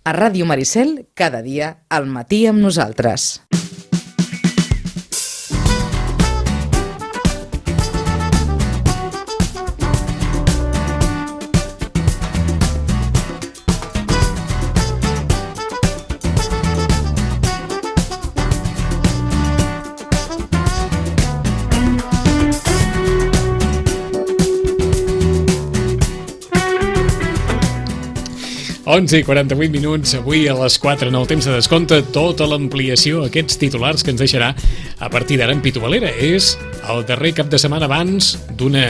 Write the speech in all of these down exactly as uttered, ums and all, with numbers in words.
A Ràdio Maricel, cada dia, al matí amb nosaltres. onze i quaranta-vuit minuts, avui a les quatre en el temps de descompte, tota l'ampliació, aquests titulars que ens deixarà a partir d'ara en Pitu Valera. És el darrer cap de setmana abans d'una,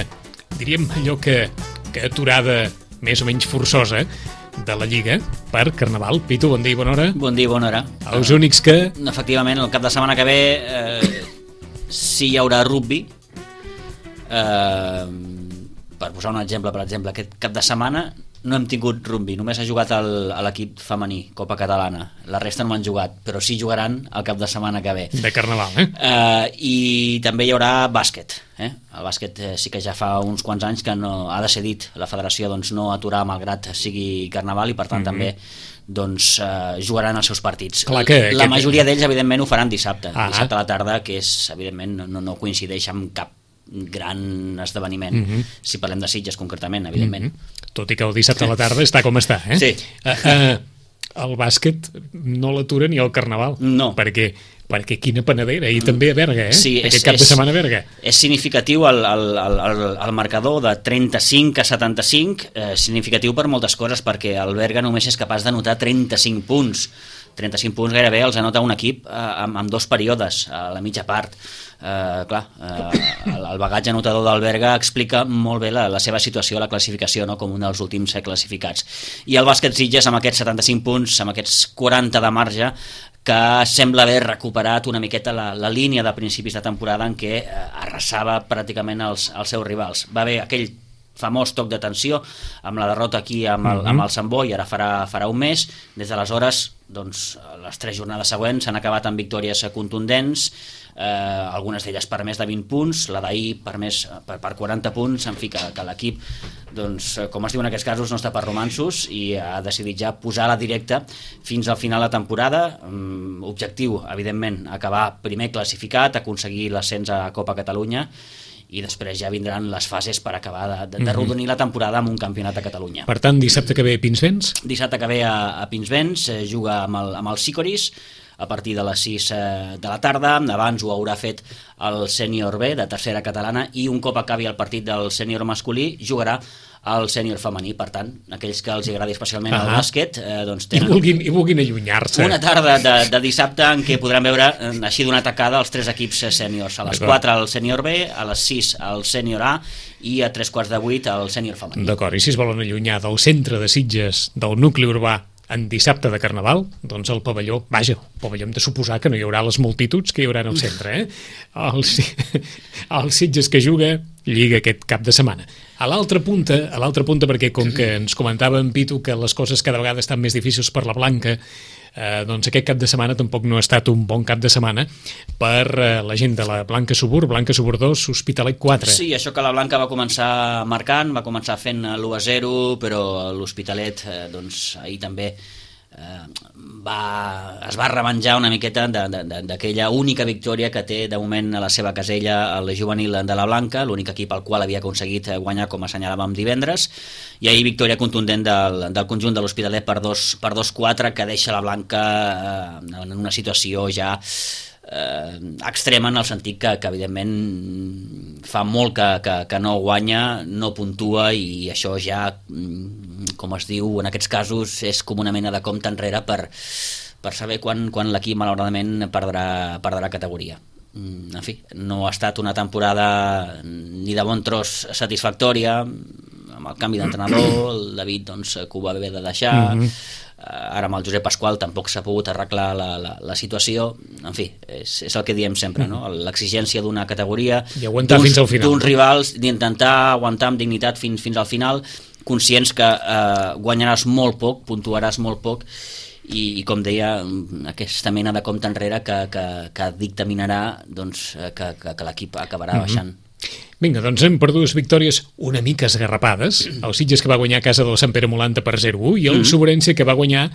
diríem allò que, que aturada més o menys forçosa de la Lliga per Carnaval. Pitu, bon dia i bona hora. Bon dia i bona hora. Els únics que... Efectivament, el cap de setmana que ve eh, sí hi haurà rugby. Eh, per posar un exemple, per exemple, aquest cap de setmana no hem tingut rugby, només ha jugat el, l'equip femení, Copa Catalana. La resta no m'han jugat, però sí jugaran el cap de setmana que ve. De Carnaval, eh? eh I també hi haurà bàsquet. Eh? El bàsquet eh, sí que ja fa uns quants anys que no, ha decidit la federació doncs, no aturar malgrat sigui Carnaval i per tant mm-hmm. també doncs, eh, jugaran els seus partits. Clar que la aquest... majoria d'ells evidentment ho faran dissabte, ah, dissabte a la tarda, que és evidentment no, no coincideix amb cap gran esdeveniment, mm-hmm. si parlem de Sitges concretament, evidentment. Mm-hmm. Tot i que el dissabte a la tarda està com està, eh? Sí. Uh, uh, el bàsquet no l'atura ni el Carnaval. No. Perquè, perquè quina panadera. I també a Berga, eh? Sí, aquest és, cap de és, setmana a Berga. És significatiu el, el, el, el, el marcador de trenta-cinc a setanta-cinc, eh, significatiu per moltes coses, perquè el Berga només és capaç d'anotar trenta-cinc punts. trenta-cinc punts gairebé els anota un equip eh, amb, amb dos períodes a la mitja part. Eh, clar, eh, el, el bagatge anotador del Berga explica molt bé la, la seva situació a la classificació, no? Com un dels últims classificats. I el bàsquet Sitges amb aquests setanta-cinc punts, amb aquests quaranta de marge, que sembla haver recuperat una miqueta la, la línia de principis de temporada en què eh, arrasava pràcticament els, els seus rivals. Va haver aquell famós toc d'atenció amb la derrota aquí amb el, amb el Sant Boi, ara farà, farà un mes. Des d'aleshores, doncs, les tres jornades següents s'han acabat amb victòries contundents, eh, algunes d'elles per més de vint punts, la d'ahir per, més, per, per quaranta punts, en fi, que, que l'equip, doncs, com es diu en aquests casos, no està per romanços i ha decidit ja posar la directa fins al final de temporada. Objectiu, evidentment, acabar primer classificat, aconseguir l'ascens a Copa Catalunya, i després ja vindran les fases per acabar de, de, de rodonir la temporada amb un campionat a Catalunya. Per tant, dissabte que ve a Pinsbens? Dissabte que ve a, a Pinsbens, eh, juga amb el, amb el Sicoris a partir de les sis eh, de la tarda. Abans ho haurà fet el sènior B de tercera catalana i un cop acabi el partit del sènior masculí jugarà al sènior femení. Per tant, aquells que els agradi especialment el bàsquet eh, doncs tenen I vulguin, i vulguin allunyar-se. Una tarda de, de dissabte en què podran veure eh, així d'una tacada els tres equips sèniors. A les quatre al sènior B, a les sis al sènior A i a tres quarts de vuit al sènior femení. D'acord, i si es volen allunyar del centre de Sitges, del nucli urbà, en dissabte de Carnaval, doncs el pavelló, vaja, el pavelló hem de suposar que no hi haurà les multituds que hi haurà en el centre, eh? El, el Sitges que juga Lliga aquest cap de setmana. A l'altra punta, a l'altra punta, perquè com que ens comentava en Pitu que les coses cada vegada estan més difícils per la Blanca, eh, doncs aquest cap de setmana tampoc no ha estat un bon cap de setmana per eh, la gent de la Blanca Subur, Blanca Subur dos, Hospitalet quatre. Sí, això que la Blanca va començar marcant, va començar fent l'u a zero, però l'Hospitalet, eh, doncs, ahir també eh, va, es va revenjar una miqueta d'aquella única victòria que té de moment a la seva casella el juvenil de la Blanca, l'únic equip al qual havia aconseguit guanyar, com assenyalàvem divendres, i ahir victòria contundent del, del conjunt de l'Hospitalet per dos quatre, que deixa la Blanca eh, en una situació ja eh, extrema, en el sentit que, que evidentment fa molt que, que, que no guanya, no puntua, i això ja, com es diu en aquests casos, és com una mena de compte enrere per, per saber quan, quan l'equip malauradament perdrà, perdrà categoria. En fi, no ha estat una temporada ni de bon tros satisfactòria, amb el canvi d'entrenador, el David doncs, que ho va haver de deixar, mm-hmm. Ara amb el Josep Pasqual tampoc s'ha pogut arreglar la, la, la situació. En fi, és, és el que diem sempre, no? L'exigència d'una categoria, i aguantar fins al final, d'uns rivals, d'intentar aguantar amb dignitat fins, fins al final, conscients que eh, guanyaràs molt poc, puntuaràs molt poc, i, i com deia, aquesta mena de compte enrere que, que, que dictaminarà doncs, que, que, que l'equip acabarà mm-hmm. baixant. Vinga, doncs hem per dues victòries una mica esgarrapades. El Sitges, que va guanyar a casa del Sant Pere Molanta per zero a u, i el mm-hmm. Sobrense, que va guanyar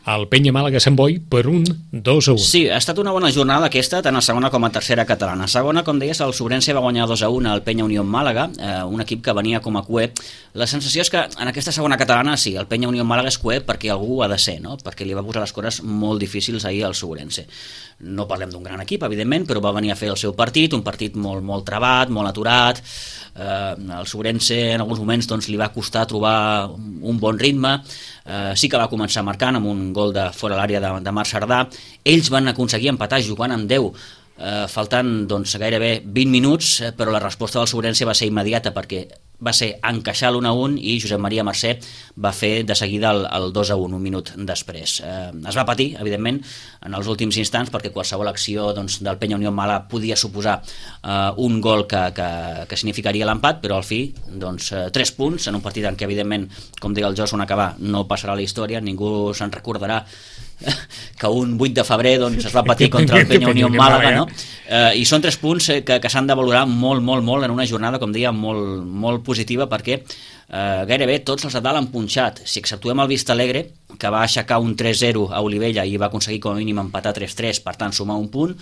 el Penya Màlaga Sant Boi per un dos a un. Sí, ha estat una bona jornada aquesta, tant a segona com a tercera catalana. A segona, com deies, el Sobrense va guanyar dos a un al Penya Unió Màlaga, eh, un equip que venia com a cué. La sensació és que en aquesta segona catalana, sí, el Penya Unió Màlaga és cué perquè algú ha de ser, no? Perquè li va posar les coses molt difícils ahir al Sobrense. No parlem d'un gran equip, evidentment, però va venir a fer el seu partit, un partit molt, molt trebat, molt aturat. Eh, el Sobrense en alguns moments doncs, li va costar trobar un bon ritme. Eh, sí que va començar marcant amb un gol de fora l'àrea de, de Marc Cerdà. Ells van aconseguir empatar jugant amb deu, eh, faltant doncs, gairebé vint minuts, eh, però la resposta del Sobrense va ser immediata perquè va ser encaixar l'un a un i Josep Maria Mercè va fer de seguida el, el dos a un, un minut després. Eh, es va patir, evidentment, en els últims instants perquè qualsevol acció doncs, del Penya Unió Màlaga podia suposar eh, un gol que, que, que significaria l'empat, però al fi doncs, eh, tres punts en un partit en què, evidentment, com deia el Jos, on acabar no passarà a la història, ningú se'n recordarà que un vuit de febrer doncs, es va patir contra el Penya Unió Màlaga, no? Eh, i són tres punts que, que s'han de valorar molt, molt, molt en una jornada, com deia, molt, molt positiva perquè eh, gairebé tots els de dalt han punxat. Si exceptuem el Vista Alegre, que va aixecar un tres zero a Olivella i va aconseguir com a mínim empatar tres tres, per tant sumar un punt,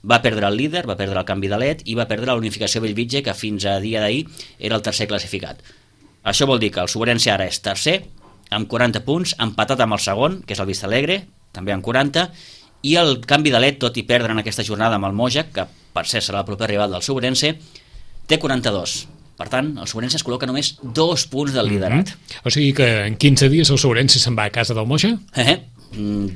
va perdre el líder, va perdre el canvi de led i va perdre la unificació Bellvitge, que fins a dia d'ahir era el tercer classificat. Això vol dir que el Sobrense ara és tercer amb quaranta punts, empatat amb el segon, que és el Vista Alegre, també amb quaranta, i el canvi de led, tot i perdre en aquesta jornada amb el Moja, que per ser serà el proper rival del Sobrense, té quaranta-dos. Per tant, el Sobrense es col·loca només dos punts del liderat. Mm-hmm. O sigui que en quinze dies el Sobrense se'n va a casa del Moja? Eh,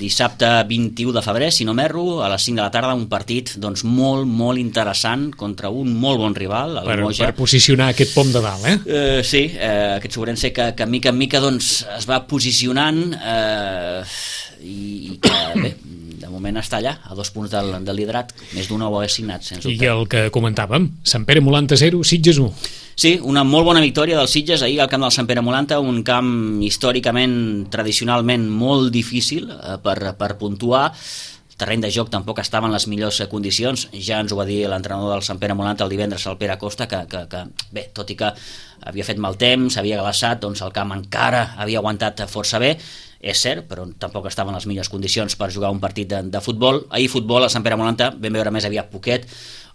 dissabte vint-i-u de febrer, si no m'erro, a les cinc de la tarda, un partit doncs, molt, molt interessant contra un molt bon rival, el per, Moja. Per posicionar aquest pom de dalt, eh? Uh, sí, uh, aquest Sobrense que, que mica en mica doncs, es va posicionant uh, i, i que, bé, de moment està allà, a dos punts del, del liderat, més d'un ho ha assignat, sens dubte. I el que comentàvem, Sant Pere Molanta zero, Sitges u. Sí, una molt bona victòria dels Sitges ahir al camp del Sant Pere Molanta, un camp històricament, tradicionalment molt difícil eh, per, per puntuar. El terreny de joc tampoc estava en les millors condicions, ja ens ho va dir l'entrenador del Sant Pere Molanta el divendres, el Pere Costa, que, que, que bé, tot i que havia fet mal temps, havia glaçat, doncs el camp encara havia aguantat força bé, és cert, però tampoc estava en les millors condicions per jugar un partit de, de futbol. Ahir futbol, a Sant Pere Molanta, vam veure més aviat poquet,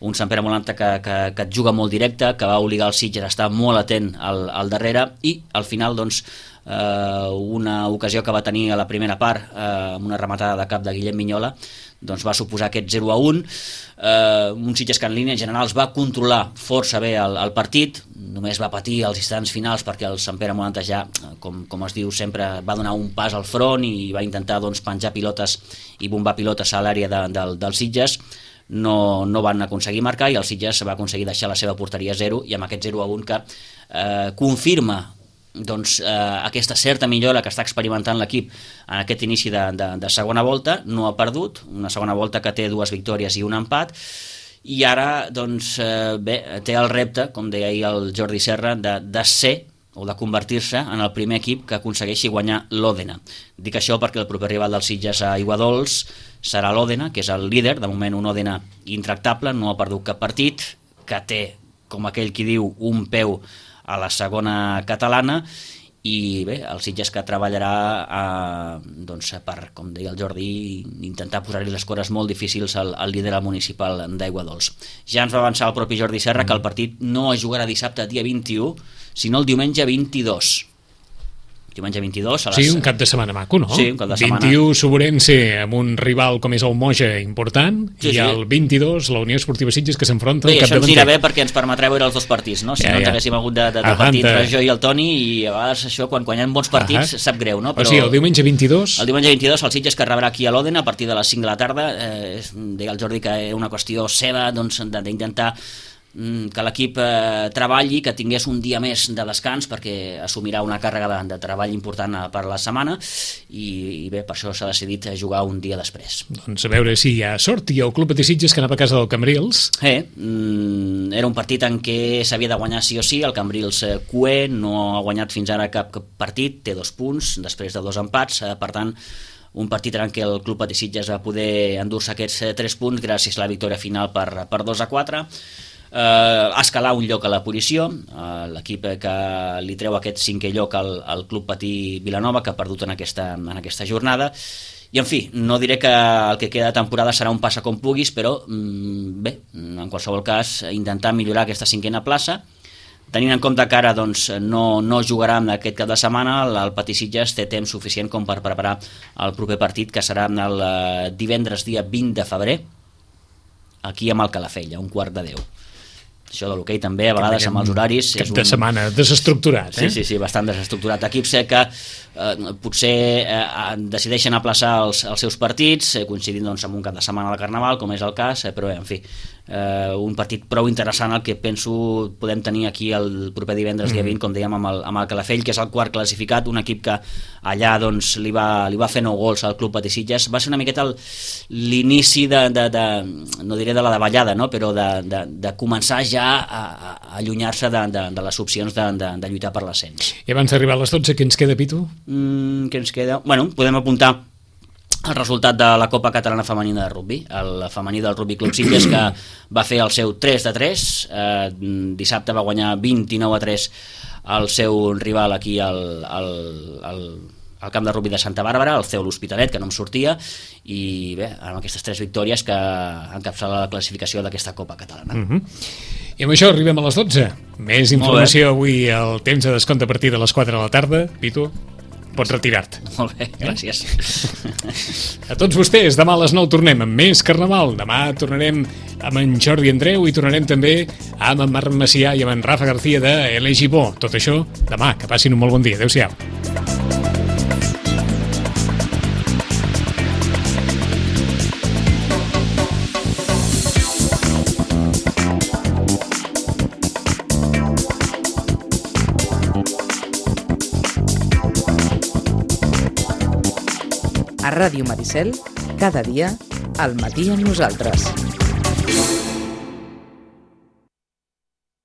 un Sant Pere Molanta que, que, que et juga molt directe, que va obligar el Sitges a estar molt atent al, al darrere, i al final, doncs, eh, una ocasió que va tenir a la primera part, eh, amb una rematada de cap de Guillem Minyola, doncs va suposar aquest zero a un. Eh, un Sitges que en línies generals va controlar força bé el, el partit, només va patir als instants finals perquè el Sant Pere Molanta ja, com, com es diu sempre, va donar un pas al front i va intentar doncs, penjar pilotes i bombar pilotes a l'àrea de, de, del Sitges. No, no van aconseguir marcar i el Sitges va aconseguir deixar la seva porteria a zero, i amb aquest zero a un que eh, confirma doncs, eh, aquesta certa millora que està experimentant l'equip en aquest inici de, de, de segona volta. No ha perdut, una segona volta que té dues victòries i un empat, i ara doncs, eh, bé, té el repte, com deia ahir el Jordi Serra, de, de ser o de convertir-se en el primer equip que aconsegueixi guanyar l'Òdena. Dic això perquè el proper rival dels Sitges a Aiguadols serà l'Òdena, que és el líder, de moment un Òdena intractable, no ha perdut cap partit, que té, com aquell qui diu, un peu a la segona catalana, i bé, el Sitges que treballarà eh, doncs, per, com deia el Jordi, intentar posar-li les coses molt difícils al, al líder municipal d'Aiguadols. Ja ens va avançar el propi Jordi Serra que el partit no es jugarà dissabte dia vint-i-u, sinó el diumenge vint-i-dos. Diumenge vint-i-dos a les... Sí, un cap de setmana maco, no? Sí, un cap de setmana. vint-i-u Sobrense amb un rival com és el Moja important, sí, i sí. El vint-i-dos la Unió Esportiva Sitges que s'enfronta al capdavanter. capdavanter. Això ens anirà bé perquè ens permetrà veure els dos partits, no? Si ja, no ens ja. haguéssim hagut de, de, de partit entre jo i el Toni, i a vegades això, quan, quan hi ha bons partits, Ahà. sap greu, no? Però... O sigui, el diumenge vint-i-dos... El diumenge vint-i-dos el Sitges que rebrà aquí a l'Òdena a partir de les cinc de la tarda. Eh, deia el Jordi que és una qüestió seva, doncs, d'intentar que l'equip eh, treballi, que tingués un dia més de descans perquè assumirà una càrrega de, de treball important per la setmana, i, i bé, per això s'ha decidit jugar un dia després. Doncs a veure si hi ha sort. I el Club Patí Sitges que anava a casa del Cambrils. Eh, mm, era un partit en què s'havia de guanyar sí o sí. El Cambrils eh, cué, no ha guanyat fins ara cap, cap partit, té dos punts després de dos empats, eh, per tant un partit en què el Club Patí Sitges va poder endur-se aquests eh, tres punts gràcies a la victòria final per, per dos a quatre. Uh, escalar un lloc a la posició, uh, l'equip que li treu aquest cinquè lloc al, al Club Patí Vilanova, que ha perdut en aquesta, en aquesta jornada, I, en fi, no diré que el que queda de temporada serà un passa com puguis, però, bé, en qualsevol cas, intentar millorar aquesta cinquena plaça. Tenint en compte que ara doncs, no, no jugarà en aquest cap de setmana, el Patí Sitges té temps suficient com per preparar el proper partit, que serà el divendres dia vint de febrer, aquí amb el Calafell, a un quart de deu. Això de l'hoquei també, a vegades amb els horaris... Cap de setmana desestructurat, eh? Sí, sí, sí, bastant desestructurat. Equips que eh, potser eh, decideixen aplaçar els, els seus partits, eh, coincidint doncs, amb un cap de setmana de Carnaval, com és el cas, eh, però, en fi, eh, un partit prou interessant el que penso podem tenir aquí el proper divendres, dia vint, com dèiem, amb el, amb el Calafell, que és el quart classificat, un equip que allà doncs, li, va, li va fer nou gols al Club Patí Sitges. Va ser una miqueta l'inici de, de, de, no diré de la davallada, no? Però de, de, de començar ja a, a allunyar-se de, de, de les opcions de, de, de lluitar per l'ascens. I abans d'arribar a les dotze, què ens queda, Pitu? Mm, què ens queda? Bueno, podem apuntar el resultat de la Copa Catalana Femenina de Rugby, el femení del Rugby Club Sitges, que va fer el seu tres de tres, eh, dissabte va guanyar vint-i-nou a tres al seu rival aquí al, al, al, al camp de rugby de Santa Bàrbara, el C E U l'Hospitalet, que no em sortia, i bé, amb aquestes tres victòries que encapçala la classificació d'aquesta Copa Catalana. Mm-hmm. I amb això arribem a les dotze. Més informació avui al temps de descompte a partir de les quatre de la tarda. Pitu, pots retirar-te. Molt bé, gràcies. A tots vostès, demà a les nou tornem amb més Carnaval. Demà tornarem amb en Jordi Andreu i tornarem també amb en Marc Macià i amb en Rafa García de L G Bo. Tot això demà, que passin un molt bon dia. Adéu-siau. A Ràdio Maricel, cada dia, al matí amb nosaltres.